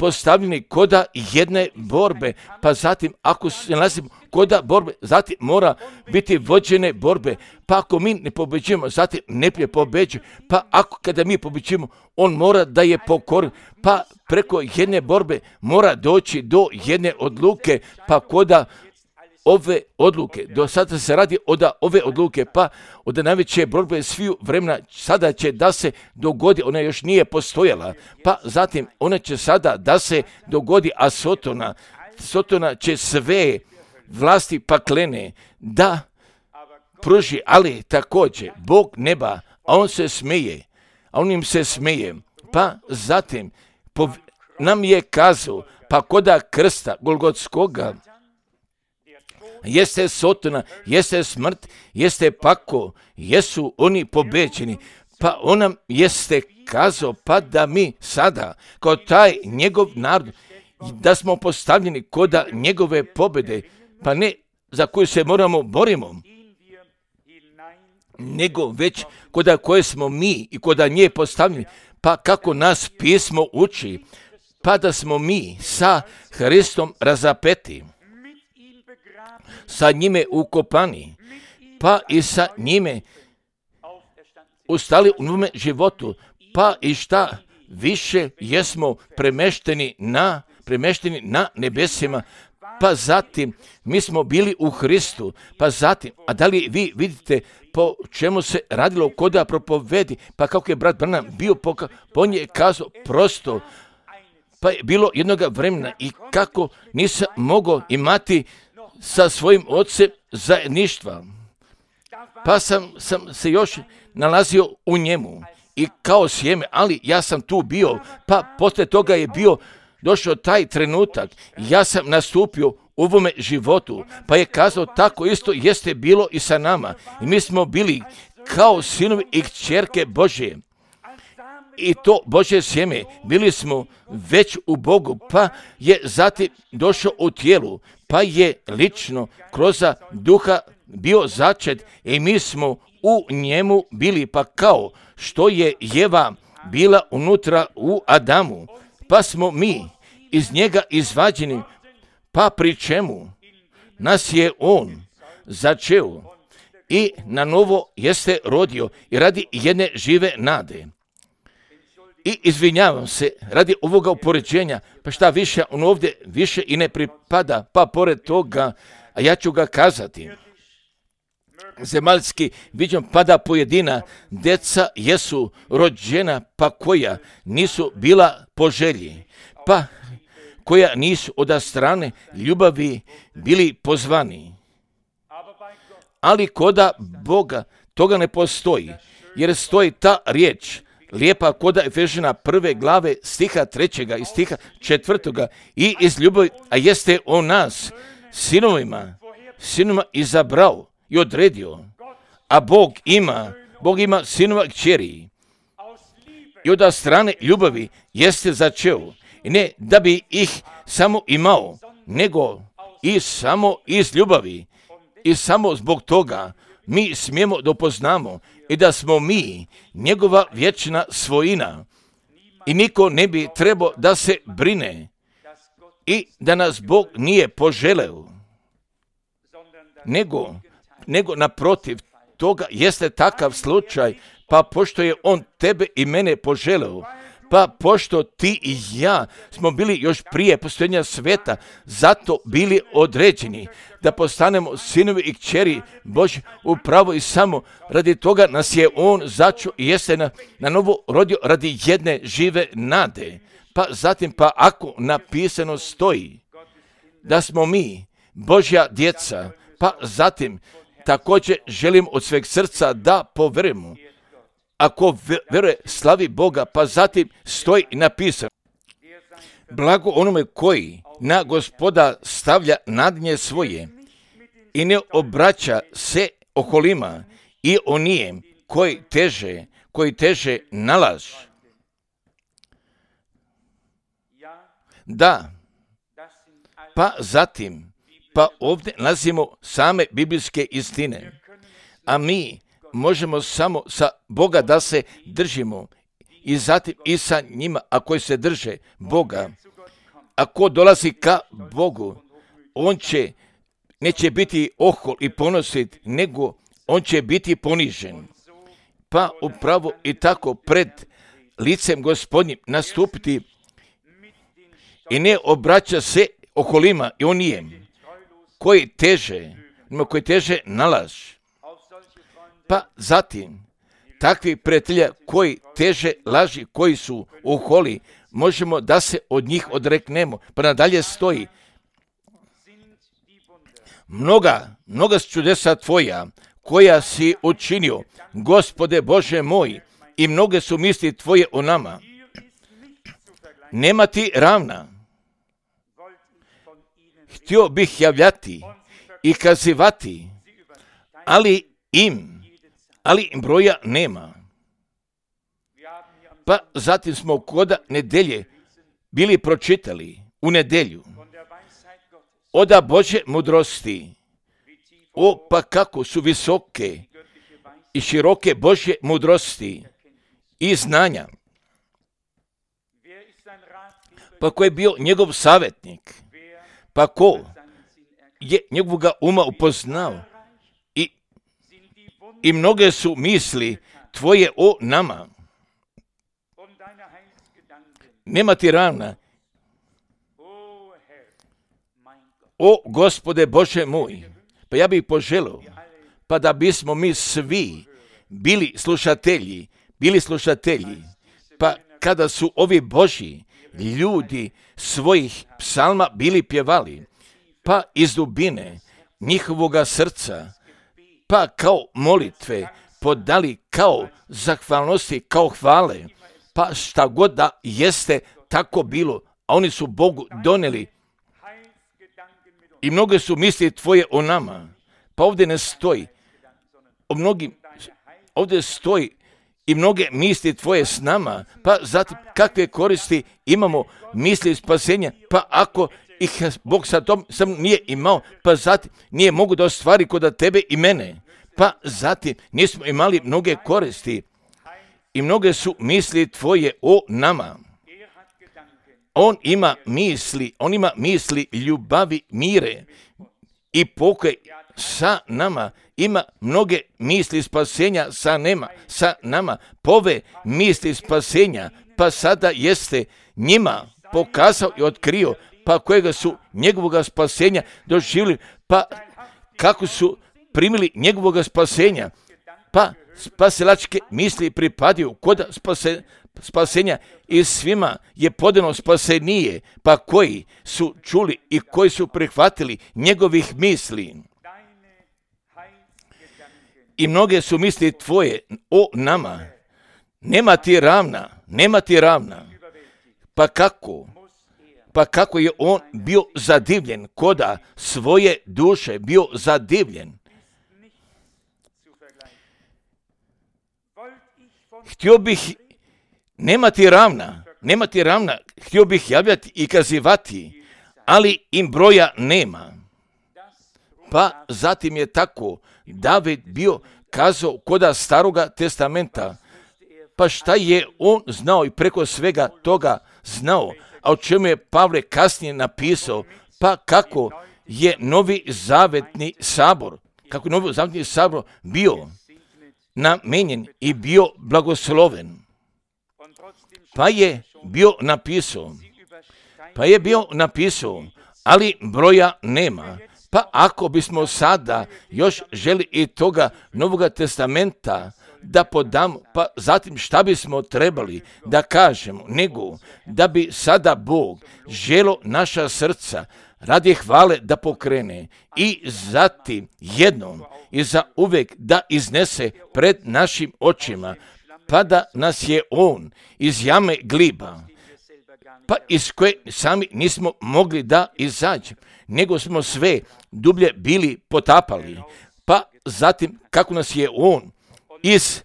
postavljeni koda jedne borbe, pa zatim ako se nalazimo koda borbe, zatim mora biti vođene borbe, pa ako mi ne pobeđujemo, zatim ne pobeđuje, pa ako kada mi pobeđujemo, on mora da je pokoran, pa preko jedne borbe mora doći do jedne odluke, pa koda ove odluke, do sada se radi od ove odluke, pa od najveće borbe sviju vremena sada će da se dogodi, ona još nije postojala, pa zatim ona će sada da se dogodi, a Sotona, Sotona će sve vlasti paklene da pruži, ali također Bog neba, a on se smeje, a on im se smeje, pa zatim pov, nam je kazao, pa koda krsta Golgotskoga, jeste Sotona, jeste smrt, jeste pako, jesu oni pobeđeni, pa on nam jeste kazao, pa da mi sada, kao taj njegov narod, da smo postavljeni koda njegove pobjede, pa ne za koju se moramo borimo, nego već koda koje smo mi i koda nje postavljeni, pa kako nas pismo uči, pa da smo mi sa Hristom razapeti, sa njime ukopani, pa i sa njime ustali u novome životu, pa i šta više jesmo premešteni na, premešteni na nebesima, pa zatim mi smo bili u Hristu, pa zatim, a da li vi vidite po čemu se radilo koda propovedi, pa kako je brat Branham bio, poka, po nje je kazao prosto, pa je bilo jednoga vremena i kako nisam mogao imati sa svojim ocem zajedništva, pa sam, sam se još nalazio u njemu i kao sjeme, ali ja sam tu bio, pa poslije toga je bio došao taj trenutak, ja sam nastupio u ovome životu, pa je kazao tako isto jeste bilo i sa nama. I mi smo bili kao sinovi i kćerke Božje. I to Božje sjeme, bili smo već u Bogu, pa je zatim došao u tijelu, pa je lično kroz duha bio začet i mi smo u njemu bili, pa kao što je Jeva bila unutra u Adamu, pa smo mi iz njega izvađeni, pa pri čemu nas je on začeo i na novo jeste rodio i radi jedne žive nade. I izvinjavam se radi ovoga upoređenja, pa šta više, on ovdje više i ne pripada, pa pored toga, a ja ću ga kazati. Zemaljski viđom pada pojedina, deca jesu rođena, pa koja nisu bila po želji, pa koja nisu od strane ljubavi bili pozvani. Ali koda Boga toga ne postoji, jer stoji ta riječ, lijepa koda Efežana prve glave stiha trećega i stiha četvrtoga i iz ljubavi, a jeste on nas sinovima, sinovima izabrao i odredio, a Bog ima, Bog ima sinova kćeri i od strane ljubavi jeste začeo, i ne da bi ih samo imao, nego i samo iz ljubavi i samo zbog toga mi smijemo dopoznamo i da smo mi njegova vječna svojina i niko ne bi trebao da se brine i da nas Bog nije poželeo, nego, nego naprotiv toga jeste takav slučaj, pa pošto je on tebe i mene poželeo, pa pošto ti i ja smo bili još prije postojanja sveta, zato bili određeni da postanemo sinovi i kćeri Božji upravo i samo radi toga nas je on začeo i jeste na, na novo rodio radi jedne žive nade. Pa zatim, pa ako napisano stoji da smo mi Božja djeca, pa zatim također želim od sveg srca da poverujemo. Ako veruje, slavi Boga, pa zatim stoji napisano. Blago onome koji na Gospoda stavlja nadnje svoje i ne obraća se okolima i onijem koji teže, koji teže nalaž. Da, pa zatim, pa ovdje nalazimo same biblijske istine, a mi možemo samo sa Boga da se držimo i zatim i sa njima, a koji se drže Boga, ako dolazi ka Bogu, on će, neće biti ohol i ponosit, nego on će biti ponižen. Pa upravo i tako pred licem Gospodnjim nastupiti i ne obraća se okolima i onijem koji teže, koji teže nalaž. Pa zatim, takvi prijatelja koji teže laži, koji su oholi, možemo da se od njih odreknemo. Pa nadalje stoji, mnoga, mnoga su čudesa tvoja, koja si učinio, Gospode Bože moj, i mnoge su misli tvoje o nama. Nema ti ravna. Htio bih javljati i kazivati, ali im, ali im broja nema. Pa zatim smo koda nedelje bili pročitali u nedelju od Božje mudrosti. O, pa kako su visoke i široke Božje mudrosti i znanja. Pa ko je bio njegov savjetnik? Pa ko je njegovoga uma upoznao? I, i mnoge su misli tvoje o nama. Nema ti ravna. O Gospode Bože moj, pa ja bih poželio, pa da bismo mi svi bili slušatelji, bili slušatelji, pa kada su ovi Božji ljudi svojih psalma bili pjevali, pa iz dubine njihovoga srca, pa kao molitve podali kao zahvalnosti, kao hvale, pa šta god da jeste tako bilo, a oni su Bogu donijeli. I mnoge su misli tvoje o nama, pa ovdje ne stoji, o mnogim, ovdje stoji i mnoge misli tvoje s nama, pa zatim kakve koristi imamo misli spasenja, pa ako ih Bog sa tom sam nije imao, pa zatim nije mogu da ostvari kod tebe i mene, pa zatim nismo imali mnoge koristi i mnoge su misli tvoje o nama. On ima misli, on ima misli ljubavi, mire i pokoj sa nama. Ima mnoge misli spasenja sa nema, sa nama. Pove misli spasenja, pa sada jeste njima pokazao i otkrio, pa kojega su njegovoga spasenja doživjeli, pa kako su primili njegovoga spasenja, pa spasilačke misli pripadaju kod spase, spasenja i svima je podano spasenije, pa koji su čuli i koji su prihvatili njegovih misli. I mnoge su misli tvoje o nama. Nema ti ravna, nema ti ravna. Pa kako? Pa kako je on bio zadivljen, koda svoje duše bio zadivljen. Htio bih, nema ti ravna, nema ti ravna, htio bih javljati i kazivati, ali im broja nema. Pa zatim je tako David bio kazao koda staroga testamenta, pa šta je on znao i preko svega toga znao, a o čemu je Pavle kasnije napisao, pa kako je novi zavetni sabor, kako je novi zavetni sabor bio namenjen i bio blagosloven. Pa je bio napisao, pa je bio napisao, ali broja nema. Pa ako bismo sada još želi i toga Novoga testamenta da podamo, pa zatim šta bismo trebali da kažemo, nego da bi sada Bog želo naša srca radi hvale da pokrene i zatim jednom i za uvijek da iznese pred našim očima, pa da nas je on iz jame gliba, pa iz koje sami nismo mogli da izađemo, nego smo sve dublje bili potapali, pa zatim kako nas je on iz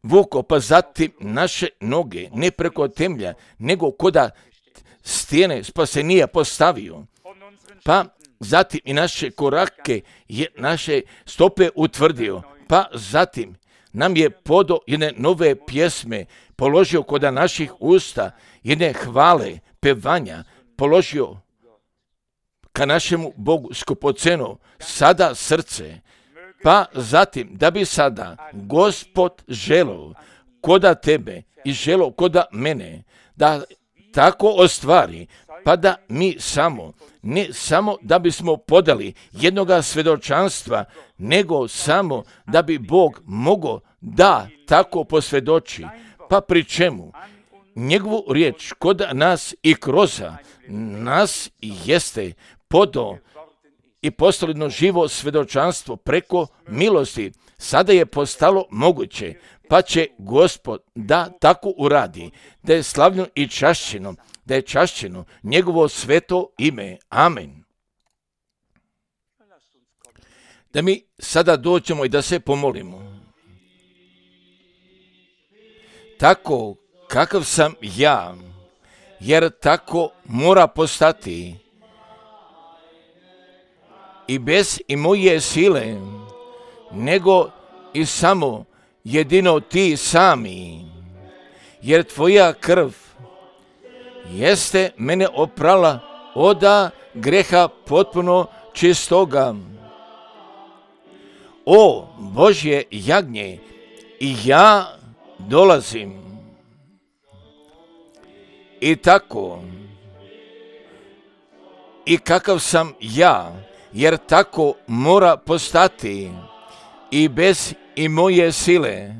vuko, pa zatim naše noge ne preko temelja, nego koda stijene spasenija postavio, pa zatim i naše korake, je, naše stope utvrdio, pa zatim nam je podo jedne nove pjesme položio koda naših usta, jedne hvale, pevanja, položio ka našemu Bogu skupoceno sada srce, pa zatim da bi sada Gospod želeo koda tebe i želeo koda mene da tako ostvari, pa da mi samo, ne samo da bismo podali jednoga svjedočanstva, nego samo da bi Bog mogao da tako posvjedoči, pa pri čemu njegovu riječ kod nas i kroz nas jeste podao i postalo živo svjedočanstvo preko milosti. Sada je postalo moguće, pa će Gospod da tako uradi, da je slavljeno i čašćeno, da je čašćeno njegovo sveto ime. Amen. Da mi sada dođemo i da se pomolimo. Tako kakav sam ja, jer tako mora postati, i bez i moje sile, nego i samo jedino ti sami, jer tvoja krv jeste mene oprala oda greha potpuno čistoga. O Božje jagnje, i ja dolazim. I tako, i kakav sam ja, jer tako mora postati, i bez i moje sile,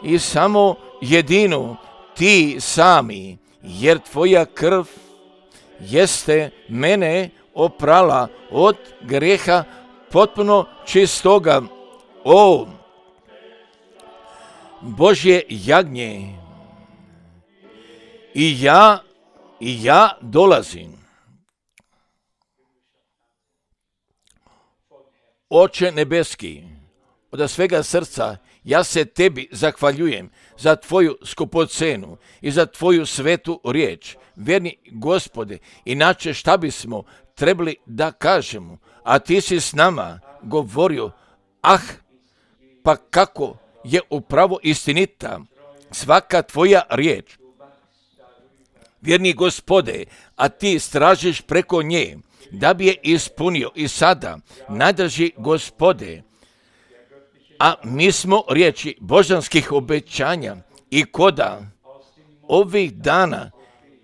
i samo jedino ti sami, jer tvoja krv jeste mene oprala od greha potpuno čistoga. O Božje jagnje, i ja, i ja dolazim. Oče nebeski, od svega srca ja se tebi zahvaljujem za tvoju skupocenu i za tvoju svetu riječ. Vjerni Gospode, inače šta bismo trebali da kažemo, a ti si s nama govorio, ah, pa kako je upravo istinita svaka tvoja riječ. Vjerni Gospode, a ti stražiš preko nje, da bi je ispunio i sada, najdrži Gospode, a mi smo riječi božanskih obećanja i koda ovih dana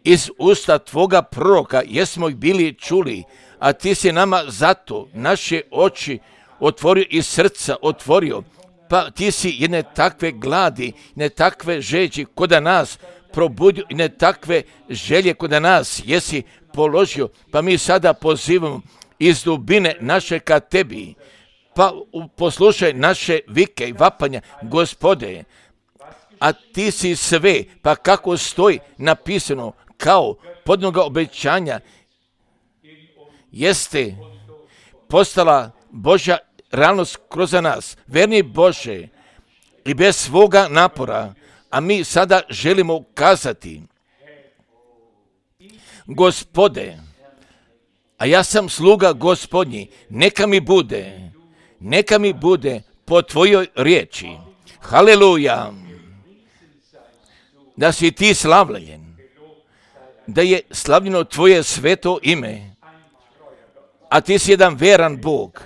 iz usta tvoga proroka jesmo ih bili čuli, a ti si nama zato naše oči otvorio i srca otvorio, pa ti si jedne takve gladi, ne takve žeđi koda nas probudio i ne takve želje koda nas jesi položio, pa mi sada pozivamo iz dubine naše ka tebi, pa poslušaj naše vike i vapanja, Gospode, a ti si sve, pa kako stoji napisano kao podnoga obećanja, jeste postala Božja realnost kroz nas. Verni Bože, i bez svoga napora, a mi sada želimo kazati, Gospode, a ja sam sluga Gospodnji, neka mi bude, neka mi bude po tvojoj riječi. Haleluja! Da si ti slavljen, da je slavljeno tvoje sveto ime, a ti si jedan veran Bog,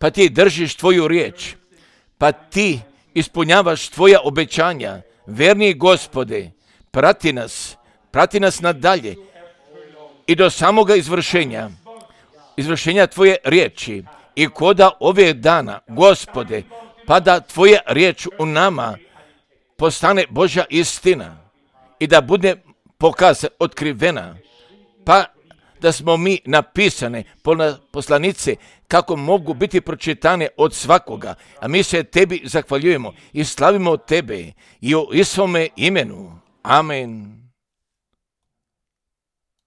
pa ti držiš tvoju riječ, pa ti ispunjavaš tvoja obećanja. Verni Gospode, prati nas, prati nas nadalje i do samoga izvršenja, izvršenja tvoje riječi i koda ove dana, Gospode, pa da tvoja riječ u nama postane Božja istina i da bude pokazana, otkrivena, pa da smo mi napisane poslanice kako mogu biti pročitane od svakoga, a mi se tebi zahvaljujemo i slavimo tebe i u Isovome imenu. Amen.